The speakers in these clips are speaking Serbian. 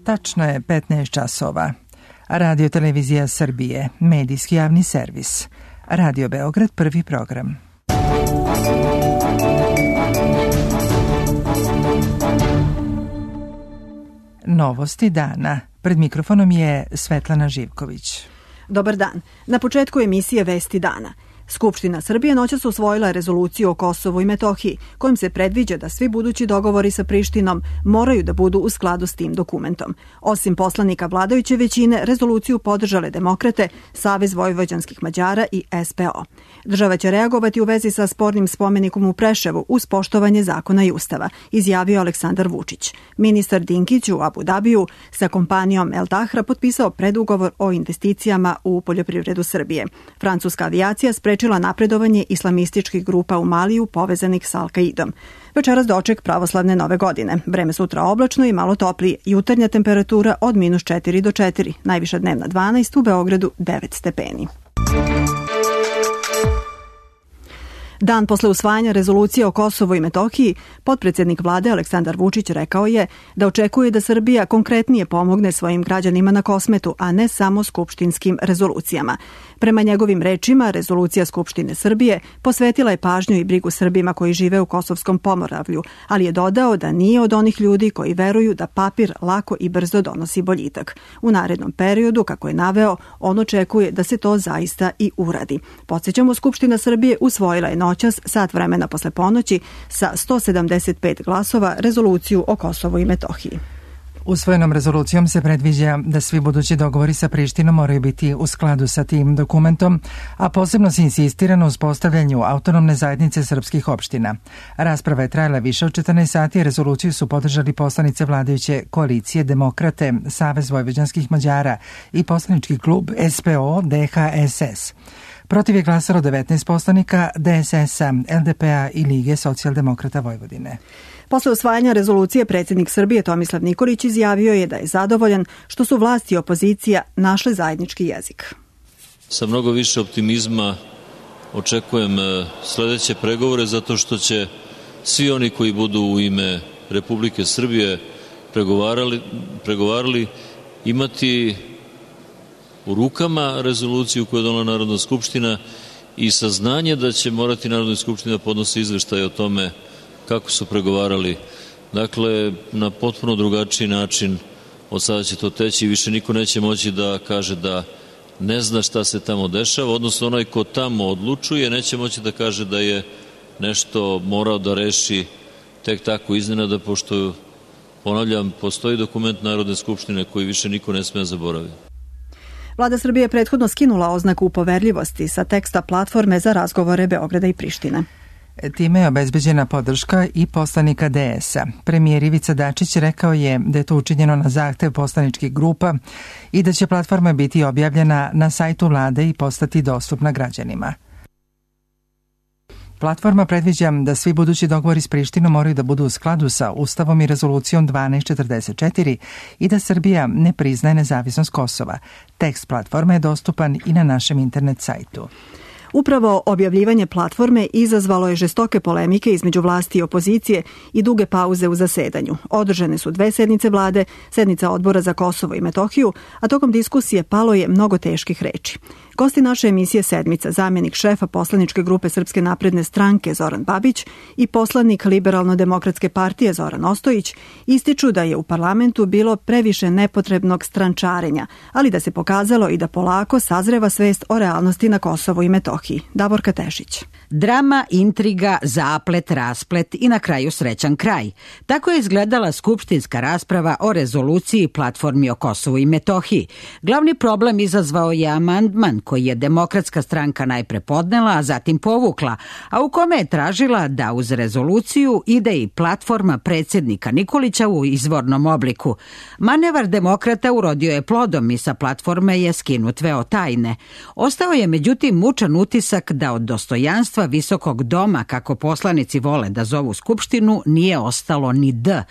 Tačno je 15 časova. Radio Televizija Srbije, medijski javni servis. Radio Beograd, prvi program. Novosti dana. Pred mikrofonom je Svetlana Živković. Dobar dan. Na početku emisije Vesti dana. Skupština Srbije noćas usvojila rezoluciju o Kosovu i Metohiji, kojom se predviđa da svi budući dogovori sa Prištinom moraju da budu u skladu s tim dokumentom. Osim poslanika vladajuće većine, rezoluciju podržale Demokrate, Savez vojvođanskih Mađara i SPO. Država će reagovati u vezi sa spornim spomenikom u Preševu uz poštovanje zakona i ustava, izjavio Aleksandar Vučić. Ministar Dinkić u Abu Dabiju sa kompanijom El Tahra potpisao predugovor o investicijama u poljoprivredu Srbije. Francuska avijacija sprečila napredovanje islamističkih grupa u Maliju povezanih s Al-Kaidom. Večeras doček pravoslavne nove godine. Vreme sutra oblačno i malo toplije. Jutarnja temperatura od -4 do 4. Najviša dnevna 12, u Beogradu 9 stepeni. Dan posle usvajanja rezolucije o Kosovu i Metohiji, potpredsednik vlade Aleksandar Vučić rekao je da očekuje da Srbija konkretnije pomogne svojim građanima na Kosmetu, a ne samo skupštinskim rezolucijama. Prema njegovim rečima, rezolucija Skupštine Srbije posvetila je pažnju i brigu Srbima koji žive u Kosovskom Pomoravlju, ali je dodao da nije od onih ljudi koji veruju da papir lako i brzo donosi boljitak. U narednom periodu, kako je naveo, on očekuje da se to zaista i uradi. Podsjećamo, Skupština Srbije usvojila je noćas, sat vremena posle ponoći, sa 175 glasova rezoluciju o Kosovu i Metohiji. Usvojenom rezolucijom se predviđa da svi budući dogovori sa Prištinom moraju biti u skladu sa tim dokumentom, a posebno se insistira na uspostavljanju autonomne zajednice srpskih opština. Rasprava je trajala više od 14 sati, rezoluciju su podržali poslanice vladajuće koalicije Demokrate, Savez vojvođanskih Mađara i poslanički klub SPO DHSS. Protiv je glasalo 19 poslanika DSS-a, LDP-a i Lige socijaldemokrata Vojvodine. Posle usvajanja rezolucije predsjednik Srbije Tomislav Nikolić izjavio je da je zadovoljan što su vlasti i opozicija našle zajednički jezik. Sa mnogo više optimizma očekujem sledeće pregovore zato što će svi oni koji budu u ime Republike Srbije pregovarali imati u rukama rezoluciju koju je donela Narodna skupština i saznanje da će morati Narodna skupština da podnosi izveštaj o tome kako su pregovarali. Dakle, na potpuno drugačiji način od sada će to teći i više niko neće moći da kaže da ne zna šta se tamo dešava, odnosno onaj ko tamo odlučuje neće moći da kaže da je nešto morao da reši tek tako iznenada, pošto, ponavljam, postoji dokument Narodne skupštine koji više niko ne sme zaboraviti. Vlada Srbije je prethodno skinula oznaku poverljivosti sa teksta platforme za razgovore Beograda i Prištine. Time je obezbeđena podrška i poslanika DS-a. Premijer Ivica Dačić rekao je da je to učinjeno na zahtev poslaničkih grupa i da će platforma biti objavljena na sajtu vlade i postati dostupna građanima. Platforma predviđa da svi budući dogovori s Prištinom moraju da budu u skladu sa Ustavom i rezolucijom 1244 i da Srbija ne priznaje nezavisnost Kosova. Tekst platforme je dostupan i na našem internet sajtu. Upravo objavljivanje platforme izazvalo je žestoke polemike između vlasti i opozicije i duge pauze u zasedanju. Održane su 2 sednice vlade, sednica Odbora za Kosovo i Metohiju, a tokom diskusije palo je mnogo teških reči. Gosti naše emisije Sedmica, zamjenik šefa poslaničke grupe Srpske napredne stranke Zoran Babić i poslanik Liberalno-demokratske partije Zoran Ostojić ističu da je u parlamentu bilo previše nepotrebnog strančarenja, ali da se pokazalo i da polako sazreva svest o realnosti na Kosovu i Metohiji. Davorka Tešić. Drama, intriga, zaplet, rasplet i na kraju srećan kraj. Tako je izgledala skupštinska rasprava o rezoluciji platformi o Kosovu i Metohiji. Glavni problem izazvao je amandman koji je Demokratska stranka najpre podnela, a zatim povukla, a u kome je tražila da uz rezoluciju ide i platforma predsjednika Nikolića u izvornom obliku. Manevar Demokrata urodio je plodom i sa platforme je skinut veo tajne. Ostao je međutim mučan utisak utisak da od dostojanstva visokog doma, kako poslanici vole da zovu Skupštinu, nije ostalo ni D.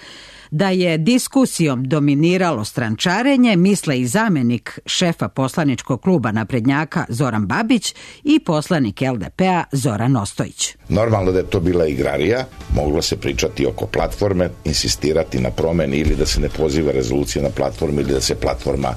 Da je diskusijom dominiralo strančarenje, misle i zamenik šefa poslaničkog kluba naprednjaka Zoran Babić i poslanik LDP-a Zoran Ostojić. Normalno da je to bila igrarija, moglo se pričati oko platforme, insistirati na promeni ili da se ne poziva rezolucija na platformu ili da se platforma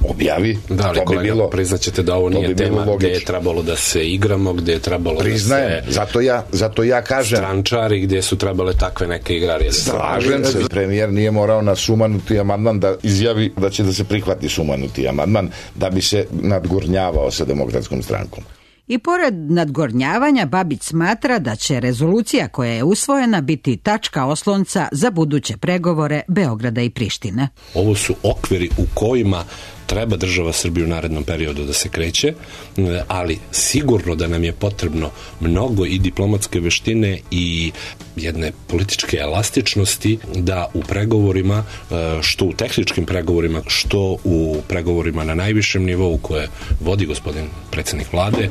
objavi. Da, ali kolega, priznaćete da ovo nije tema gde je trebalo da se igramo, gde je trebalo Priznajem, da se... zato ja kažem... Strančari, gde su trebale takve neke igrarije. Slažem se, premijer nije morao na sumanuti amandman da izjavi da će da se prihvati sumanuti amandman da bi se nadgornjavao sa Demokratskom strankom. I pored nadgornjavanja, Babić smatra da će rezolucija koja je usvojena biti tačka oslonca za buduće pregovore Beograda i Prištine. Ovo su okviri u kojima treba država Srbije u narednom periodu da se kreće, ali sigurno da nam je potrebno mnogo i diplomatske veštine i jedne političke elastičnosti da u pregovorima, što u tehničkim pregovorima, što u pregovorima na najvišem nivou koje vodi gospodin predsjednik vlade,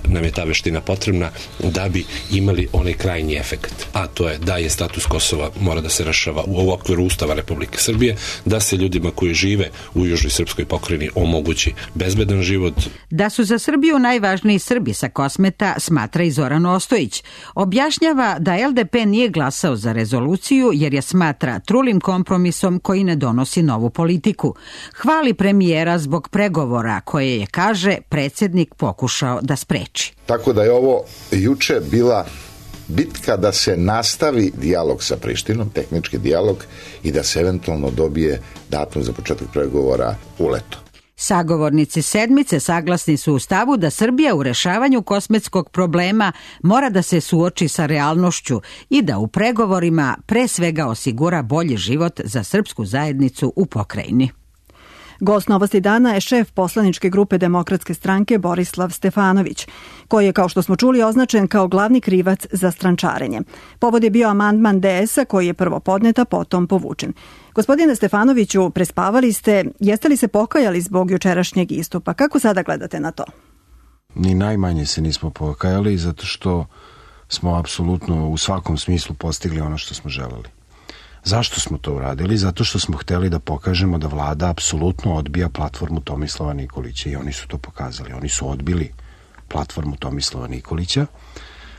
nam je ta veština potrebna da bi imali onaj krajnji efekt. A to je da je status Kosova mora da se rešava u okviru Ustava Republike Srbije, da se ljudima koji žive u južnoj srpskoj pokrajini omogući bezbedan život. Da su za Srbiju najvažniji Srbi sa Kosmeta, smatra i Zoran Ostojić. Objašnjava da LDP nije glasao za rezoluciju jer je smatra trulim kompromisom koji ne donosi novu politiku. Hvali premijera zbog pregovora koje je, kaže, predsjednik pokušao da spreči. Tako da je ovo juče bila bitka da se nastavi dijalog sa Prištinom, tehnički dijalog, i da se eventualno dobije datum za početak pregovora u leto. Sagovornici sedmice saglasni su u stavu da Srbija u rešavanju kosmetskog problema mora da se suoči sa realnošću i da u pregovorima pre svega osigura bolji život za srpsku zajednicu u pokrajini. Gost Novosti dana je šef poslaničke grupe Demokratske stranke Borislav Stefanović, koji je, kao što smo čuli, označen kao glavni krivac za strančarenje. Povod je bio amandman DS-a koji je prvo podnet, a potom povučen. Gospodine Stefanoviću, prespavali ste, jeste li se pokajali zbog jučerašnjeg istupa? Kako sada gledate na to? Ni najmanje se nismo pokajali, zato što smo apsolutno u svakom smislu postigli ono što smo želeli. Zašto smo to uradili? Zato što smo hteli da pokažemo da vlada apsolutno odbija platformu Tomislava Nikolića i oni su to pokazali. Oni su odbili platformu Tomislava Nikolića.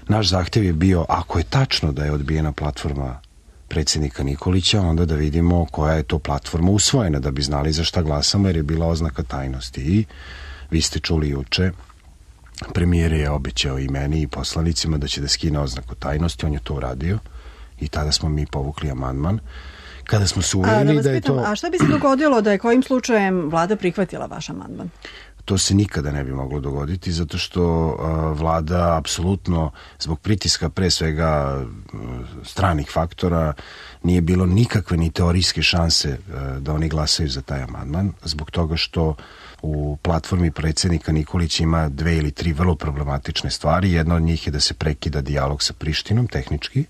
Naš zahtev je bio, ako je tačno da je odbijena platforma predsjednika Nikolića, onda da vidimo koja je to platforma usvojena, da bi znali za šta glasamo, jer je bila oznaka tajnosti. I vi ste čuli juče, premijer je obećao i meni i poslanicima da će da skine oznaku tajnosti, on je to uradio. I tada smo mi povukli amandman. Kada smo se uverili da je to... A šta bi se dogodilo da je kojim slučajem vlada prihvatila vaš amandman? To se nikada ne bi moglo dogoditi, zato što vlada apsolutno, zbog pritiska pre svega stranih faktora, nije bilo nikakve ni teorijske šanse da oni glasaju za taj amandman, zbog toga što u platformi predsjednika Nikolića ima 2 ili 3 vrlo problematične stvari. Jedna od njih je da se prekida dijalog sa Prištinom, tehnički,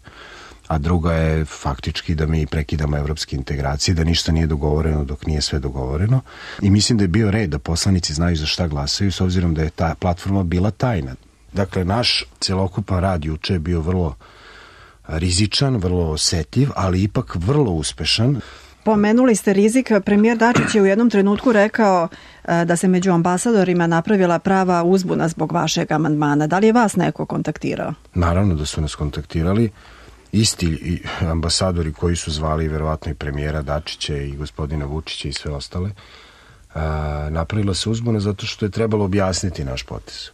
a druga je faktički da mi prekidamo evropske integracije, da ništa nije dogovoreno dok nije sve dogovoreno. I mislim da je bio red da poslanici znaju za šta glasaju, s obzirom da je ta platforma bila tajna. Dakle, naš celokupan rad juče je bio vrlo rizičan, vrlo osetljiv, ali ipak vrlo uspešan. Pomenuli ste rizik. Premijer Dačić je u jednom trenutku rekao da se među ambasadorima napravila prava uzbuna zbog vašeg amandmana. Da li je vas neko kontaktirao? Naravno da su nas kontaktirali. Isti ambasadori koji su zvali verovatno i premijera Dačića i gospodina Vučića i sve ostale, napravila se uzbuna zato što je trebalo objasniti naš potez.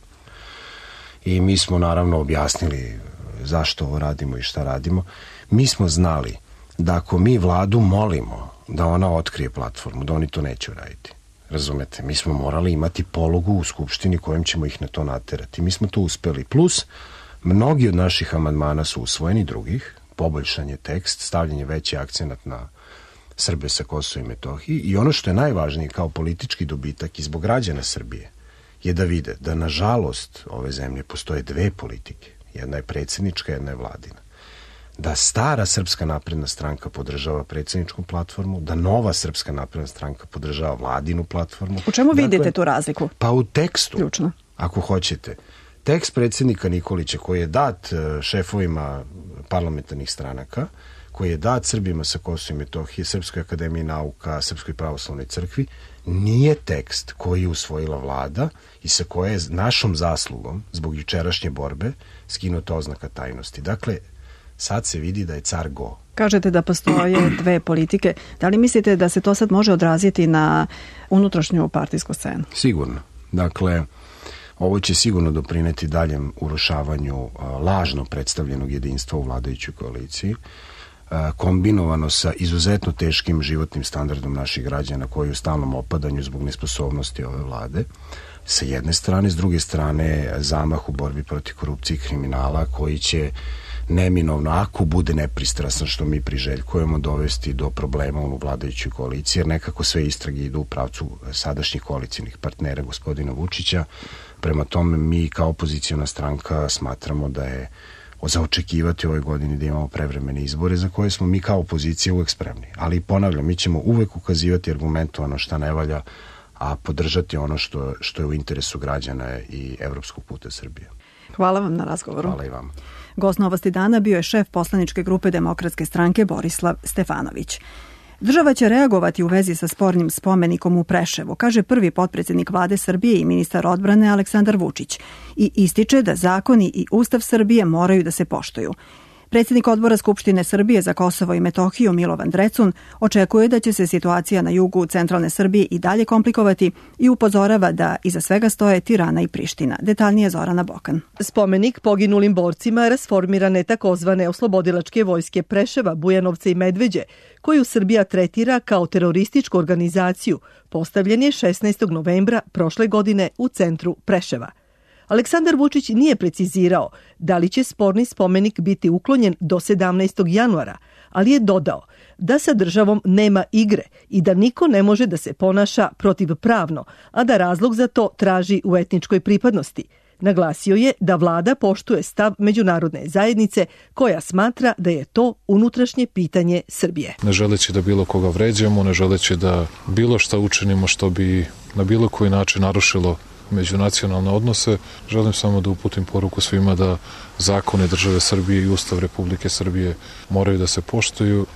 I mi smo naravno objasnili zašto ovo radimo i šta radimo. Mi smo znali da ako mi vladu molimo da ona otkrije platformu, da oni to neće uraditi. Razumete? Mi smo morali imati pologu u Skupštini kojom ćemo ih na to naterati. Mi smo to uspeli. Plus, mnogi od naših amandmana su usvojeni, drugih, poboljšan je tekst, stavljen je veći akcenat na Srbe sa Kosova i Metohiji i ono što je najvažnije kao politički dobitak i zbog građana Srbije je da vide da nažalost ove zemlje postoje 2 politike. Jedna je predsjednička, jedna je vladina. Da stara Srpska napredna stranka podržava predsjedničku platformu, da nova Srpska napredna stranka podržava vladinu platformu. U čemu vidite tu razliku? Pa u tekstu, ključno, ako hoćete. Tekst predsjednika Nikolića koji je dat šefovima parlamentarnih stranaka, koji je dat Srbima sa Kosova i Metohije, Srpskoj akademiji nauka, Srpskoj pravoslavnoj crkvi, nije tekst koji je usvojila vlada i sa koje je našom zaslugom, zbog jučerašnje borbe, skinuta oznaka tajnosti. Dakle, sad se vidi da je car go. Kažete da postoje dve politike. Da li mislite da se to sad može odraziti na unutrašnju partijsku scenu? Sigurno. Dakle, ovo će sigurno doprineti daljem urušavanju lažno predstavljenog jedinstva u vladajućoj koaliciji, kombinovano sa izuzetno teškim životnim standardom naših građana koji je u stalnom opadanju zbog nesposobnosti ove vlade. Sa jedne strane, s druge strane zamah u borbi protiv korupcije i kriminala koji će neminovno, ako bude nepristrasan što mi priželjkujemo, dovesti do problema u vladajućoj koaliciji, jer nekako sve istrage idu u pravcu sadašnjih koalicijnih partnera gospodina Vučića. Prema tome, mi kao opoziciona stranka smatramo da je za očekivati u ovoj godini da imamo prevremene izbore za koje smo mi kao opozicija uvek spremni. Ali ponavljam, mi ćemo uvek ukazivati argumentovano šta ne valja, a podržati ono što je u interesu građana i evropskog puta Srbije. Hvala vam na razgovoru. Hvala i vama. Gost Novosti dana bio je šef poslaničke grupe Demokratske stranke Borislav Stefanović. Država će reagovati u vezi sa spornim spomenikom u Preševu, kaže prvi potpredsjednik vlade Srbije i ministar odbrane Aleksandar Vučić i ističe da zakoni i Ustav Srbije moraju da se poštuju. Predsjednik odbora Skupštine Srbije za Kosovo i Metohiju Milovan Drecun očekuje da će se situacija na jugu centralne Srbije i dalje komplikovati i upozorava da iza svega stoje Tirana i Priština. Detaljnije Zorana Bokan. Spomenik poginulim borcima rasformirane takozvane oslobodilačke vojske Preševa, Bujanovca i Medveđe, koju Srbija tretira kao terorističku organizaciju, postavljen je 16. novembra prošle godine u centru Preševa. Aleksandar Vučić nije precizirao da li će sporni spomenik biti uklonjen do 17. januara, ali je dodao da sa državom nema igre i da niko ne može da se ponaša protivpravno, a da razlog za to traži u etničkoj pripadnosti. Naglasio je da vlada poštuje stav međunarodne zajednice koja smatra da je to unutrašnje pitanje Srbije. Ne želeći da bilo koga vređamo, ne želeći da bilo šta učinimo što bi na bilo koji način narušilo međunacionalne odnose, želim samo da uputim poruku svima da zakone države Srbije i Ustav Republike Srbije moraju da se poštuju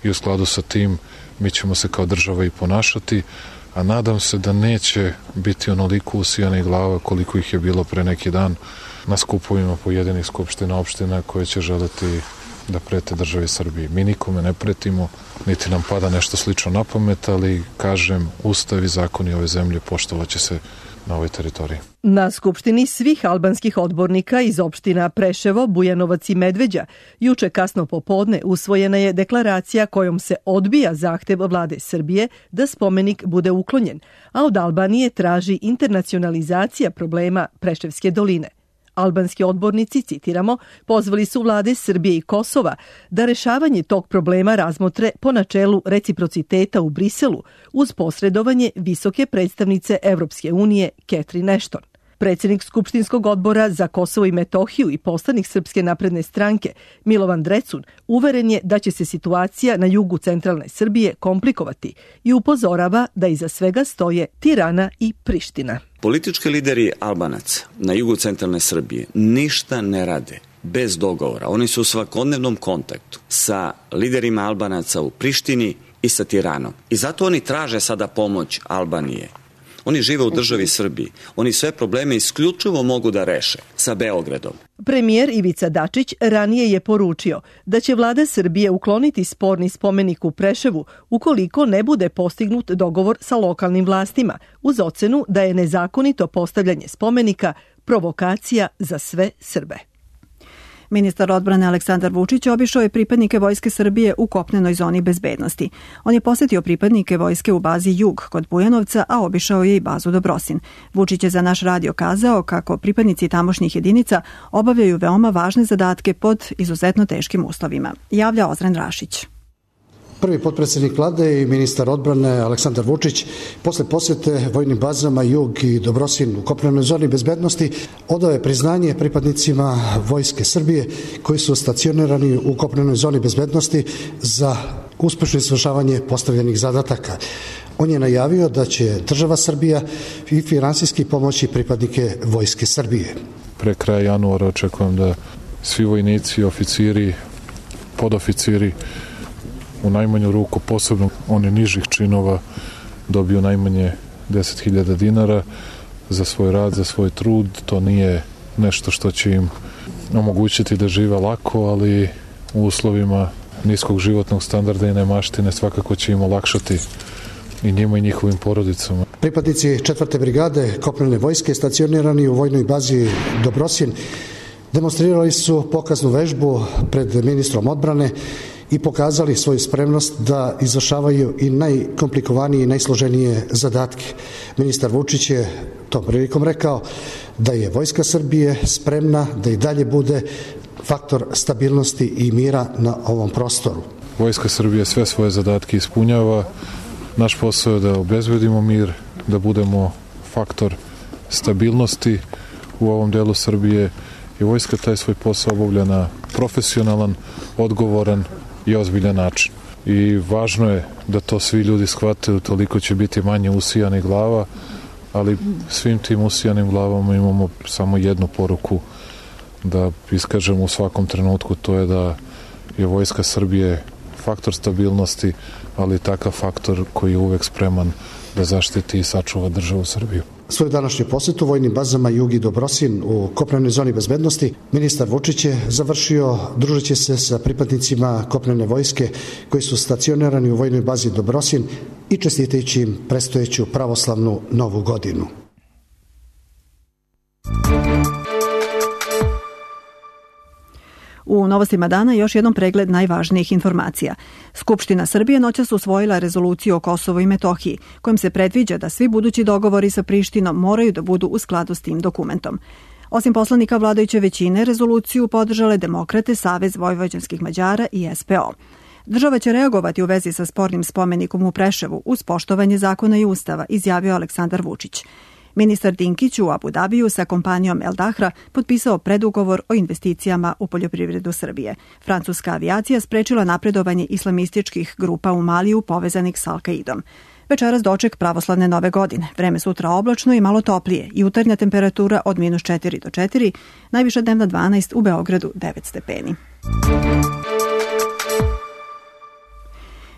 i u skladu sa tim mi ćemo se kao država i ponašati, a nadam se da neće biti onoliko usijanih glava koliko ih je bilo pre neki dan na skupovima pojedinih skupština opština koje će želeti da prete državi Srbiji. Mi nikome ne pretimo, niti nam pada nešto slično na pamet, ali kažem, Ustav i zakoni ove zemlje poštovaće se na ovoj teritoriji. Na skupštini svih albanskih odbornika iz opština Preševo, Bujanovac i Medveđa juče kasno popodne usvojena je deklaracija kojom se odbija zahtev vlade Srbije da spomenik bude uklonjen, a od Albanije traži internacionalizacija problema Preševske doline. Albanski odbornici, citiramo, pozvali su vlade Srbije i Kosova da rešavanje tog problema razmotre po načelu reciprociteta u Briselu uz posredovanje visoke predstavnice Evropske unije Catherine Ashton. Predsjednik Skupštinskog odbora za Kosovo i Metohiju i poslanik Srpske napredne stranke Milovan Drecun uveren je da će se situacija na jugu centralne Srbije komplikovati i upozorava da iza svega stoje Tirana i Priština. Politički lideri Albanaca na jugu centralne Srbije ništa ne rade bez dogovora. Oni su u svakodnevnom kontaktu sa liderima Albanaca u Prištini i sa Tiranom. I zato oni traže sada pomoć Albanije. Oni žive u državi Srbiji. Oni sve probleme isključivo mogu da reše sa Beogradom. Premijer Ivica Dačić ranije je poručio da će vlada Srbije ukloniti sporni spomenik u Preševu ukoliko ne bude postignut dogovor sa lokalnim vlastima uz ocenu da je nezakonito postavljanje spomenika provokacija za sve Srbe. Ministar odbrane Aleksandar Vučić obišao je pripadnike Vojske Srbije u kopnenoj zoni bezbednosti. On je posetio pripadnike vojske u bazi Jug kod Bujanovca, a obišao je i bazu Dobrosin. Vučić je za naš radio kazao kako pripadnici tamošnjih jedinica obavljaju veoma važne zadatke pod izuzetno teškim uslovima. Javlja Ozren Rašić. Prvi potpredsjednik vlade i ministar odbrane Aleksandar Vučić posle posjete vojnim bazama Jug i Dobrosin u kopnenoj zoni bezbednosti odao je priznanje pripadnicima Vojske Srbije koji su stacionirani u kopnenoj zoni bezbednosti za uspešno izvršavanje postavljenih zadataka. On je najavio da će država Srbija i finansijski pomoći pripadnike Vojske Srbije. pre kraja januara očekujem da svi vojnici, oficiri, podoficiri u najmanju ruku, posebno oni nižih činova, dobiju najmanje 10.000 dinara za svoj rad, za svoj trud. To nije nešto što će im omogućiti da žive lako, ali u uslovima niskog životnog standarda i nemaštine svakako će im olakšati i njima i njihovim porodicama. Pripadnici 4. brigade kopnene vojske stacionirani u vojnoj bazi Dobrosin demonstrirali su pokaznu vežbu pred ministrom odbrane i pokazali svoju spremnost da izvršavaju i najkomplikovanije i najsloženije zadatke. Ministar Vučić je tom prilikom rekao da je Vojska Srbije spremna da i dalje bude faktor stabilnosti i mira na ovom prostoru. Vojska Srbije sve svoje zadatke ispunjava. Naš posao je da obezbedimo mir, da budemo faktor stabilnosti u ovom delu Srbije i vojska taj svoj posao obavlja na profesionalan, odgovoran i ozbiljan način. I važno je da to svi ljudi shvate, toliko će biti manje usijanih glava, ali svim tim usijanim glavama imamo samo jednu poruku da iskažemo u svakom trenutku, to je da je Vojska Srbije faktor stabilnosti, ali takav faktor koji je uvek spreman da zaštiti i sačuva državu Srbiju. Svoju današnju posetu vojnim bazama Jug i Dobrosin u kopnenoj zoni bezbednosti ministar Vučić je završio družeći se sa pripadnicima kopnene vojske koji su stacionirani u vojnoj bazi Dobrosin i čestitajući im predstojeću pravoslavnu novu godinu. U novostima dana još jednom pregled najvažnijih informacija. Skupština Srbije noćas usvojila rezoluciju o Kosovu i Metohiji, kojom se predviđa da svi budući dogovori sa Prištinom moraju da budu u skladu s tim dokumentom. Osim poslanika vladajuće većine, rezoluciju podržale Demokrate, Savez vojvođanskih Mađara i SPO. Država će reagovati u vezi sa spornim spomenikom u Preševu uz poštovanje zakona i ustava, izjavio Aleksandar Vučić. Ministar Dinkić u Abu Dabiju sa kompanijom El Dahra potpisao predugovor o investicijama u poljoprivredu Srbije. Francuska avijacija sprečila napredovanje islamističkih grupa u Maliju povezanih s Al-Kaidom. Večeras doček pravoslavne nove godine. Vreme sutra oblačno i malo toplije. Jutarnja temperatura od -4 do 4, najviša dnevna 12, u Beogradu 9 stepeni.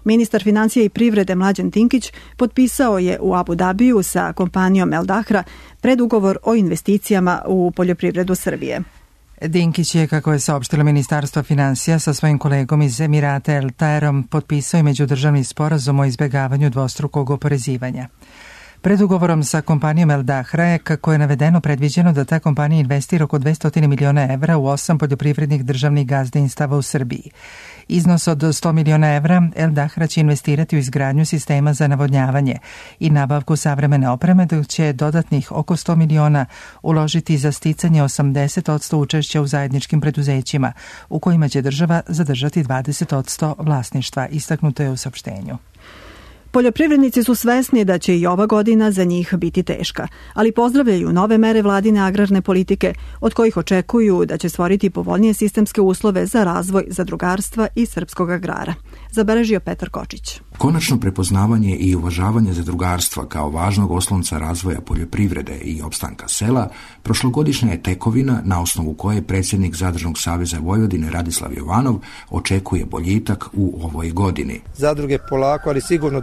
Ministar financija i privrede Mlađan Dinkić potpisao je u Abu Dabiju sa kompanijom El Dahra predugovor o investicijama u poljoprivredu Srbije. Dinkić je, kako je saopštilo Ministarstvo financija, sa svojim kolegom iz Emirata El Taerom potpisao i međudržavni sporazum o izbjegavanju dvostrukog oporezivanja. Predugovorom sa kompanijom El Dahra je, kako je navedeno, predviđeno da ta kompanija investira oko 200 miliona evra u 8 poljoprivrednih državnih gazdinstava u Srbiji. Iznos od 100 miliona evra El Dahra će investirati u izgradnju sistema za navodnjavanje i nabavku savremene opreme, dok će dodatnih oko 100 miliona uložiti za sticanje 80% učešća u zajedničkim preduzećima, u kojima će država zadržati 20% vlasništva, istaknuto je u saopštenju. Poljoprivrednici su svesni da će i ova godina za njih biti teška, ali pozdravljaju nove mere vladine agrarne politike, od kojih očekuju da će stvoriti povoljnije sistemske uslove za razvoj zadrugarstva i srpskog agrara. Zabeležio Petar Kočić. Konačno prepoznavanje i uvažavanje zadrugarstva kao važnog oslonca razvoja poljoprivrede i opstanka sela prošlogodišnja je tekovina na osnovu koje predsjednik Zadružnog saveza Vojvodine Radislav Jovanov očekuje boljitak u ovoj godini. Zadruge polako, ali sigurno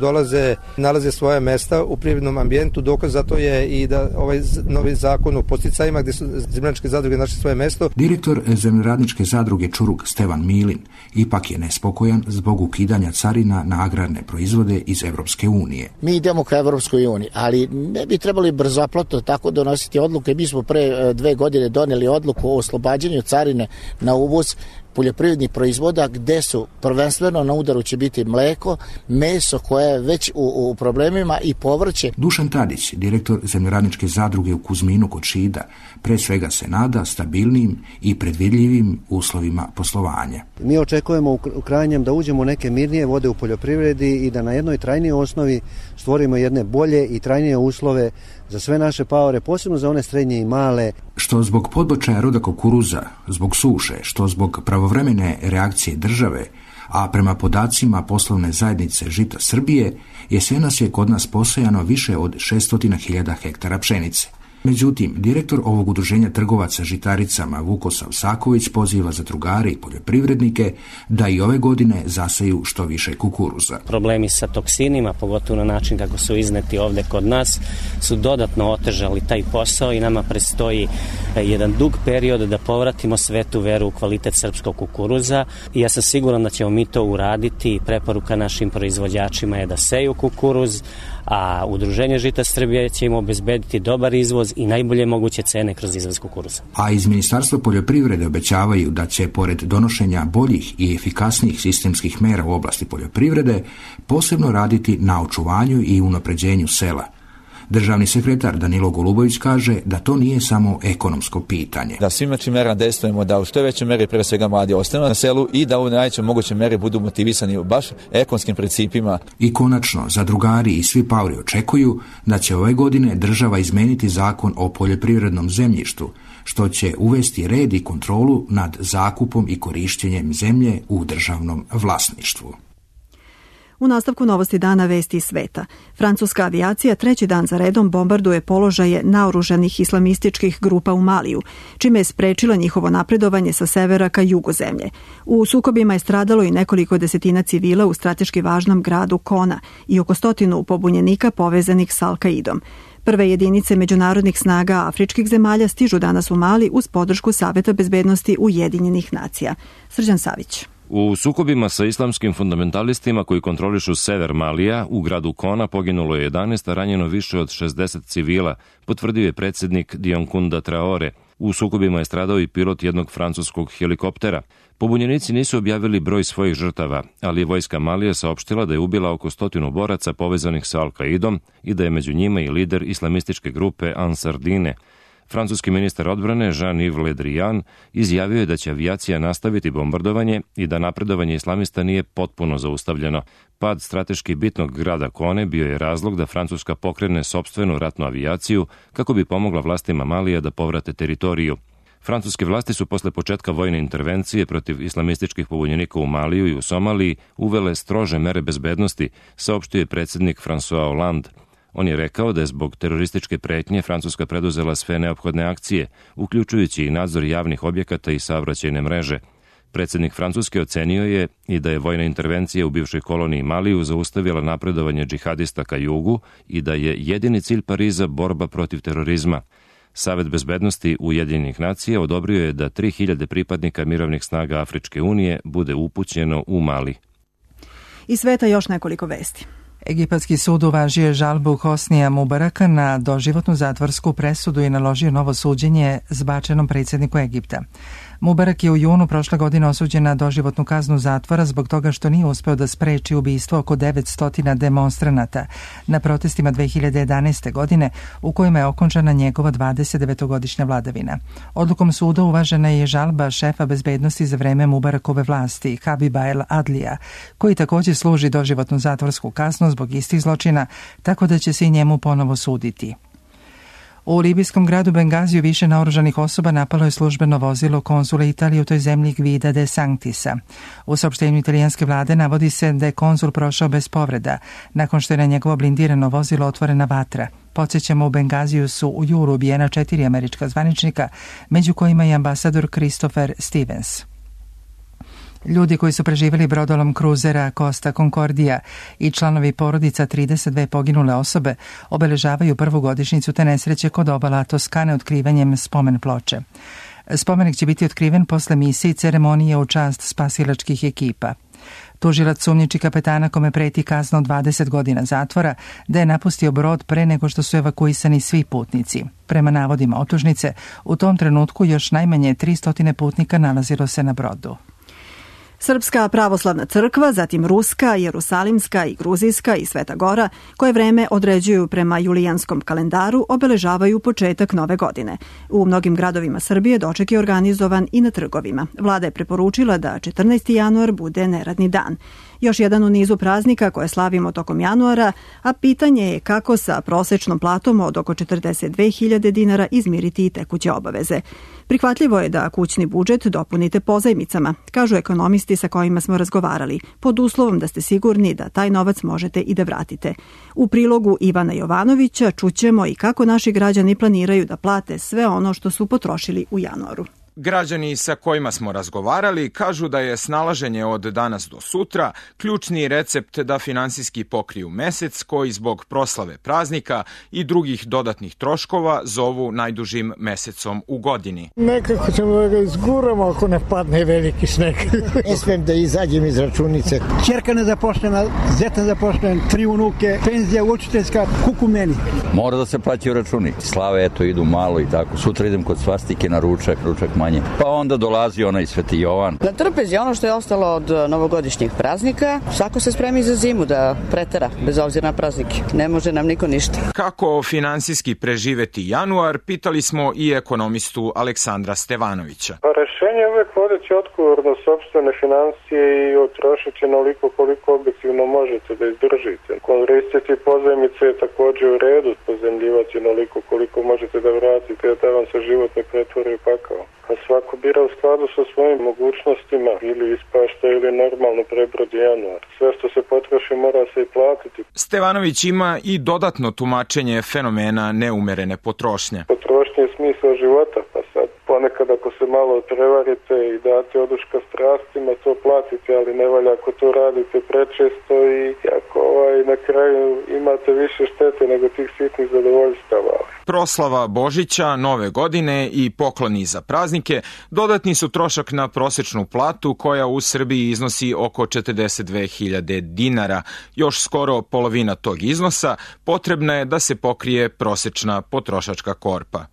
nalaze svoje mesta u privrednom ambijentu. Dokaz za to je i da ovaj novi zakon o podsticajima gdje su zemljoradničke zadruge našle svoje mesto. Direktor zemljoradničke zadruge Čuruk Stevan Milin ipak je nespokojan zbog ukidanja carina na agrarne proizvode iz Evropske unije. Mi idemo ka Evropskoj uniji, ali ne bi trebali brzopleto tako donositi odluke. Mi smo pre 2 godine doneli odluku o oslobađanju carine na uvoz poljoprivrednih proizvoda, gde su prvenstveno na udaru će biti mleko, meso koje je već u problemima i povrće. Dušan Tadić, direktor zemljoradničke zadruge u Kuzminu kod Šida, pre svega se nada stabilnim i predvidljivim uslovima poslovanja. Mi očekujemo u krajnjem da uđemo u neke mirnije vode u poljoprivredi i da na jednoj trajnijoj osnovi stvorimo jedne bolje i trajnije uslove za sve naše paore, posebno za one srednje i male. Što zbog podbačaja roda kukuruza, zbog suše, što zbog pravovremene reakcije države, a prema podacima poslovne zajednice Žita Srbije, jesenas je kod nas posejano više od 600.000 hektara pšenice. Međutim, direktor ovog udruženja trgovaca žitaricama Vukosav Saković poziva zadrugare i poljoprivrednike da i ove godine zaseju što više kukuruza. Problemi sa toksinima, pogotovo na način kako su izneti ovde kod nas, su dodatno otežali taj posao i nama predstoji jedan dug period da povratimo svetu veru u kvalitet srpskog kukuruza. I ja sam siguran da ćemo mi to uraditi. Preporuka našim proizvođačima je da seju kukuruz, a Udruženje Žita Srbije će im obezbediti dobar izvoz i najbolje moguće cene kroz izvoz kukuruza. A iz Ministarstva poljoprivrede obećavaju da će, pored donošenja boljih i efikasnijih sistemskih mera u oblasti poljoprivrede, posebno raditi na očuvanju i unapređenju sela. Državni sekretar Danilo Golubović kaže da to nije samo ekonomsko pitanje. Da svim merama dejstvujemo da u što većoj meri pre svega mladi ostanu na selu i da u najvećoj mogućoj meri budu motivisani baš ekonomskim principima. I konačno, zadrugari i svi paori očekuju da će ove godine država izmeniti zakon o poljoprivrednom zemljištu, što će uvesti red i kontrolu nad zakupom i korišćenjem zemlje u državnom vlasništvu. U nastavku novosti dana vesti iz sveta. Francuska avijacija treći dan za redom bombarduje položaje naoružanih islamističkih grupa u Maliju, čime je sprečila njihovo napredovanje sa severa ka jugu zemlje. U sukobima je stradalo i nekoliko desetina civila u strateški važnom gradu Kona i oko 100 pobunjenika povezanih s Al-Kaidom. Prve jedinice međunarodnih snaga afričkih zemalja stižu danas u Mali uz podršku Saveta bezbednosti Ujedinjenih nacija. Srđan Savić. U sukobima sa islamskim fundamentalistima koji kontrolišu sever Malija, u gradu Kona poginulo je 11, a ranjeno više od 60 civila, potvrdio je predsjednik Dionkunda Traore. U sukobima je stradao i pilot jednog francuskog helikoptera. Pobunjenici nisu objavili broj svojih žrtava, ali je vojska Malija saopštila da je ubila oko 100 boraca povezanih sa Al-Kaidom i da je među njima i lider islamističke grupe Ansar Dine. Francuski ministar odbrane Jean-Yves Le Drian izjavio je da će avijacija nastaviti bombardovanje i da napredovanje islamista nije potpuno zaustavljeno. Pad strateški bitnog grada Kone bio je razlog da Francuska pokrene sopstvenu ratnu avijaciju kako bi pomogla vlastima Malija da povrate teritoriju. Francuske vlasti su posle početka vojne intervencije protiv islamističkih pobunjenika u Maliju i u Somaliji uvele strože mere bezbednosti, saopštio je predsjednik François Hollande. On je rekao da je zbog terorističke pretnje Francuska preduzela sve neophodne akcije, uključujući i nadzor javnih objekata i saobraćajne mreže. Predsjednik Francuske ocenio je i da je vojna intervencija u bivšoj koloniji Maliju zaustavila napredovanje džihadista ka jugu i da je jedini cilj Pariza borba protiv terorizma. Savet bezbednosti Ujedinjenih nacija odobrio je da 3000 pripadnika mirovnih snaga Afričke unije bude upućeno u Mali. Iz sveta još nekoliko vesti. Egipatski sud uvažio je žalbu Hosnija Mubaraka na doživotnu zatvorsku presudu i naložio novo suđenje zbačenom predsjedniku Egipta. Mubarak je u junu prošle godine osuđen na doživotnu kaznu zatvora zbog toga što nije uspeo da spreči ubistvo oko 900 demonstranata na protestima 2011. godine u kojima je okončana njegova 29-godišnja vladavina. Odlukom suda uvažena je žalba šefa bezbednosti za vreme Mubarakove vlasti, Habiba El Adlija, koji također služi doživotnu zatvorsku kaznu zbog istih zločina, tako da će se i njemu ponovo suditi. U libijskom gradu Bengaziju više naoružanih osoba napalo je službeno vozilo konzula Italije u toj zemlji Gvida de Sanctisa. U saopštenju italijanske vlade navodi se da je konzul prošao bez povreda, nakon što je na njegovo blindirano vozilo otvorena vatra. Podsjećamo, u Bengaziju su u julu ubijena 4 američka zvaničnika, među kojima i ambasador Christopher Stevens. Ljudi koji su preživjeli brodolom kruzera Costa Concordia i članovi porodica 32 poginule osobe obeležavaju prvu godišnjicu te nesreće kod obala Toskane otkrivanjem spomen ploče. Spomenik će biti otkriven posle misije i ceremonije u čast spasilačkih ekipa. Tužilac sumnjiči kapetana kome preti kazna od 20 godina zatvora da je napustio brod pre nego što su evakuisani svi putnici. Prema navodima optužnice, u tom trenutku još najmanje 300 putnika nalazilo se na brodu. Srpska pravoslavna crkva, zatim Ruska, Jerusalimska i Gruzijska i Sveta Gora, koje vreme određuju prema julijanskom kalendaru, obeležavaju početak nove godine. U mnogim gradovima Srbije doček je organizovan i na trgovima. Vlada je preporučila da 14. januar bude neradni dan. Još jedan u nizu praznika koje slavimo tokom januara, a pitanje je kako sa prosečnom platom od oko 42.000 dinara izmiriti i tekuće obaveze. Prihvatljivo je da kućni budžet dopunite pozajmicama, kažu ekonomisti listi sa kojima smo razgovarali, pod uslovom da ste sigurni da taj novac možete i da vratite. U prilogu Ivana Jovanovića čućemo i kako naši građani planiraju da plate sve ono što su potrošili u januaru. Građani sa kojima smo razgovarali kažu da je snalaženje od danas do sutra ključni recept da finansijski pokriju mesec koji zbog proslave praznika i drugih dodatnih troškova zovu najdužim mesecom u godini. Nekako ćemo da ga izguramo ako ne padne veliki sneg. Ne smem da izađem iz računice. Čerka nezaposlena, zeta nezaposlena, 3 unuke, penzija učiteljska, kuku meni. Mora da se plaćaju računi. Slave eto idu malo i tako. Sutra idem kod svastike na ručak manje. Pa onda dolazi onaj Sveti Jovan. Na trpezi ono što je ostalo od novogodišnjih praznika, svako se spremi za zimu da pretera, bez obzira na praznike. Ne može nam niko ništa. Kako finansijski preživeti januar, pitali smo i ekonomistu Aleksandra Stevanovića. Pa rešenje je uvek vodeći odgovorno sopstvene financije i otrošiti onoliko koliko objektivno možete da izdržite. Koristiti pozajmice je također u redu, pozajmljivati onoliko koliko možete da vratite, da vam se život ne pretvori u pakao. A svako bira u skladu sa svojim mogućnostima, ili ispašta ili normalno prebrodi januar. Sve što se potroši mora se i platiti. Stevanović ima i dodatno tumačenje fenomena neumerene potrošnje. Potrošnja je smisao života, pa sad ponekad ako se malo prevarite i date oduška strastima, to platite, ali ne valja ako to radite prečesto i ako na kraju imate više štete nego tih sitnih zadovoljstava. Proslava Božića, Nove godine i pokloni za praznike dodatni su trošak na prosečnu platu koja u Srbiji iznosi oko 42.000 dinara. Još skoro polovina tog iznosa potrebna je da se pokrije prosečna potrošačka korpa.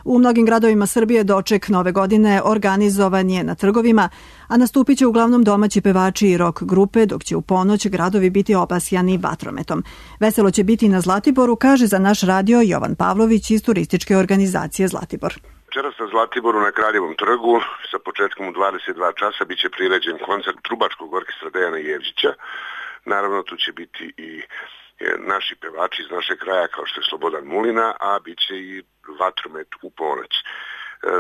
U mnogim gradovima Srbije doček Nove godine organizovan je na trgovima, a nastupit će uglavnom domaći pevači i rock grupe, dok će u ponoć gradovi biti obasjani vatrometom. Veselo će biti na Zlatiboru, kaže za naš radio Jovan Pavlović iz turističke organizacije Zlatibor. Večeras na Zlatiboru na Kraljevom trgu sa početkom u 22 časa biće priređen koncert trubačkog orkestra Dejana Jevđića. Naravno tu će biti i naši pevači iz našeg kraja kao što je Slobodan Mulina, a bit će i vatromet u ponoć.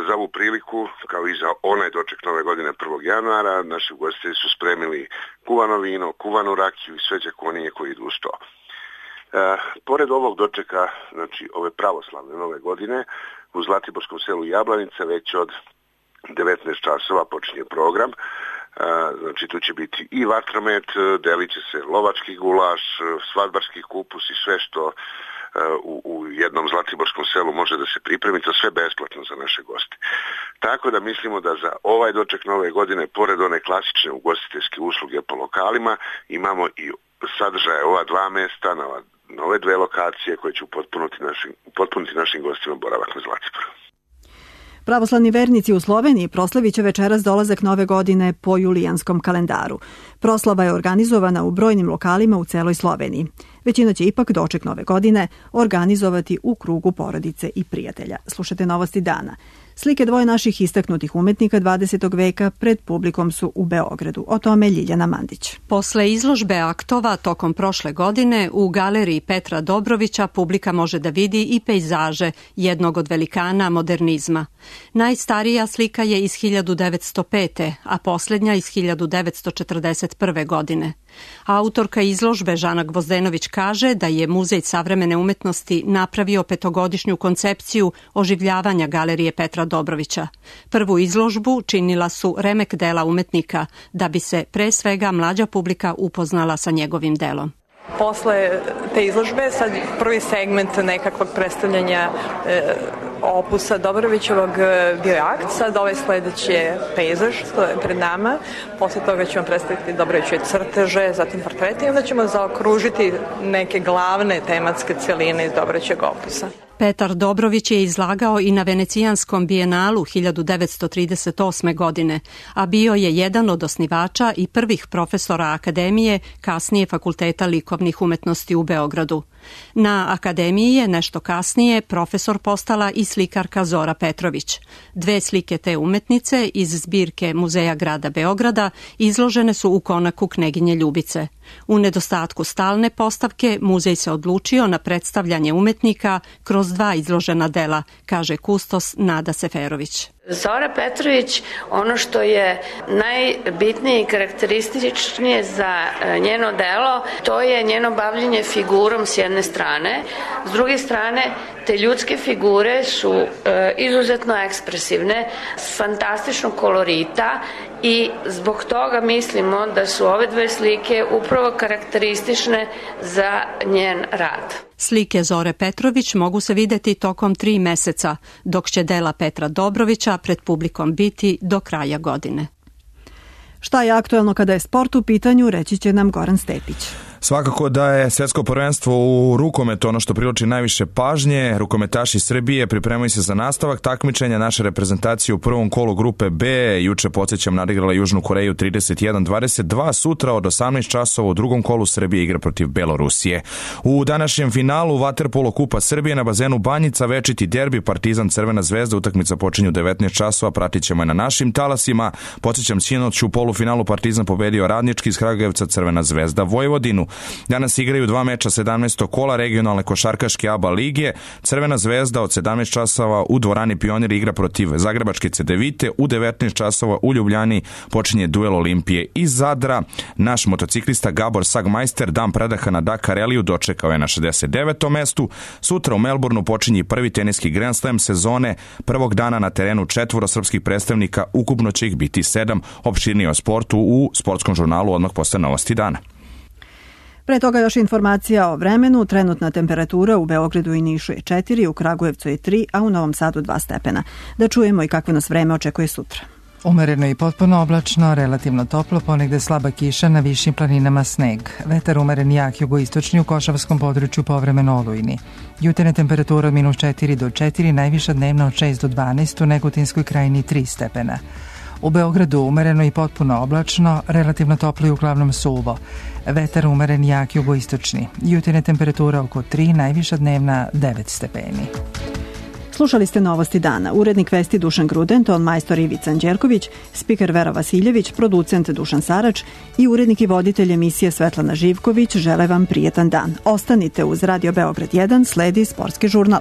Za ovu priliku, kao i za onaj doček Nove godine 1. januara, naši ugostitelji su spremili kuvano vino, kuvanu rakiju i sve đakonije koji idu uz to. Pored ovog dočeka, znači ove pravoslavne Nove godine, u Zlatiborskom selu Jablanica već od 19 časova počinje program. Znači tu će biti i vatromet, delit će se lovački gulaš, svadbarski kupus i sve što u jednom zlatiborskom selu može da se pripremi, to sve besplatno za naše goste. Tako da mislimo da za ovaj doček Nove godine, pored one klasične ugostiteljske usluge po lokalima, imamo i sadržaje ova dva mesta, nove dve lokacije koje će upotpuniti našim gostima boravak na Zlatiboru. Pravoslavni vernici u Sloveniji proslavit će večeras dolazak Nove godine po julijanskom kalendaru. Proslava je organizovana u brojnim lokalima u celoj Sloveniji. Većina će ipak doček Nove godine organizovati u krugu porodice i prijatelja. Slušajte novosti dana. Slike dvoje naših istaknutih umetnika 20. veka pred publikom su u Beogradu. O tome Ljiljana Mandić. Posle izložbe aktova tokom prošle godine u galeriji Petra Dobrovića publika može da vidi i pejzaže jednog od velikana modernizma. Najstarija slika je iz 1905. a posljednja iz 1941. godine. Autorka izložbe Žana Gvozdenović kaže da je Muzej savremene umetnosti napravio 5-godišnju koncepciju oživljavanja galerije Petra Dobrovića. Prvu izložbu činila su remek dela umetnika, da bi se pre svega mlađa publika upoznala sa njegovim delom. Posle te izložbe sad prvi segment nekakvog predstavljanja opusa Dobrovićevog bio je akt, sad ovaj sledeći je pejzaž, to je pred nama, posle toga ćemo predstaviti Dobrovićeve crteže, zatim portrete i onda ćemo zaokružiti neke glavne tematske celine iz Dobrovićevog opusa. Petar Dobrović je izlagao i na Venecijanskom bijenalu 1938. godine, a bio je jedan od osnivača i prvih profesora akademije, kasnije Fakulteta likovnih umetnosti u Beogradu. Na akademiji je nešto kasnije profesor postala i slikarka Zora Petrović. 2 slike te umetnice iz zbirke Muzeja grada Beograda izložene su u konaku Kneginje Ljubice. U nedostatku stalne postavke muzej se odlučio na predstavljanje umetnika kroz 2 izložena dela, kaže kustos Nada Seferović. Zora Petrović, ono što je najbitnije i karakterističnije za njeno delo, to je njeno bavljenje figurom s jedne strane. S druge strane, te ljudske figure su izuzetno ekspresivne, fantastičnog kolorita i zbog toga mislimo da su ove dve slike upravo karakteristične za njen rad. Slike Zore Petrović mogu se videti tokom 3 meseca, dok će dela Petra Dobrovića pred publikom biti do kraja godine. Šta je aktuelno kada je sport u pitanju, reći će nam Goran Stepić. Svakako da je svjetsko prvenstvo u rukometu ono što privlači najviše pažnje. Rukometaši Srbije pripremaju se za nastavak takmičenja. Naša reprezentacija u prvom kolu grupe B juče, podsjećam, nadigrala Južnu Koreju 31-22. Sutra od 18 časova u drugom kolu Srbije igra protiv Belorusije. U današnjem finalu Vaterpolo Kupa Srbije na bazenu Banjica večiti derbi Partizan Crvena zvezda. Utakmica počinje u 19 časova, pratit ćemo je na našim talasima. Podsjećam, sinoć u polufinalu Partizan pobedio Radnički iz Kragujevca, Crvena zvezda Vojvodinu. Danas igraju 2 meča 17. kola regionalne košarkaške ABA lige. Crvena zvezda od 17 časova u dvorani Pionir igra protiv Zagrebačke Cedevite. U 19 časova u Ljubljani počinje duel Olimpije i Zadra. Naš motociklista Gabor Sagmajster dan predaha na Dakar Rallyu dočekao je na 69. mestu. Sutra u Melbourneu počinje prvi teniski Grand Slam sezone. Prvog dana na terenu 4 srpskih predstavnika, ukupno će ih biti 7. Opširnije o sportu u sportskom žurnalu odmah posle novosti dana. Pre toga još informacija o vremenu. Trenutna temperatura u Beogradu i Nišu je 4, u Kragujevcu je 3, a u Novom Sadu 2 stepena. Da čujemo i kakvo nas vreme očekuje sutra. Umereno i potpuno oblačno, relativno toplo, ponegde slaba kiša, na višim planinama sneg. Vetar umeren jak jugoistočni, u Košavskom području povremeno olujni. Jutarnja temperatura od -4 do 4, najviša dnevna od 6 do 12, u Negotinskoj krajini 3 stepena. U Beogradu umereno i potpuno oblačno, relativno toplo i uglavnom suvo. Vetar umeren jak jugoistočni. Jutarnja temperatura oko 3, najviša dnevna 9 stepeni. Slušali ste novosti dana. Urednik vesti Dušan Gruden, ton majstor Ivica Anđelković, spiker Vera Vasiljević, producent Dušan Sarač i urednik i voditelj emisije Svetlana Živković žele vam prijetan dan. Ostanite uz Radio Beograd 1, sledi sportski žurnal.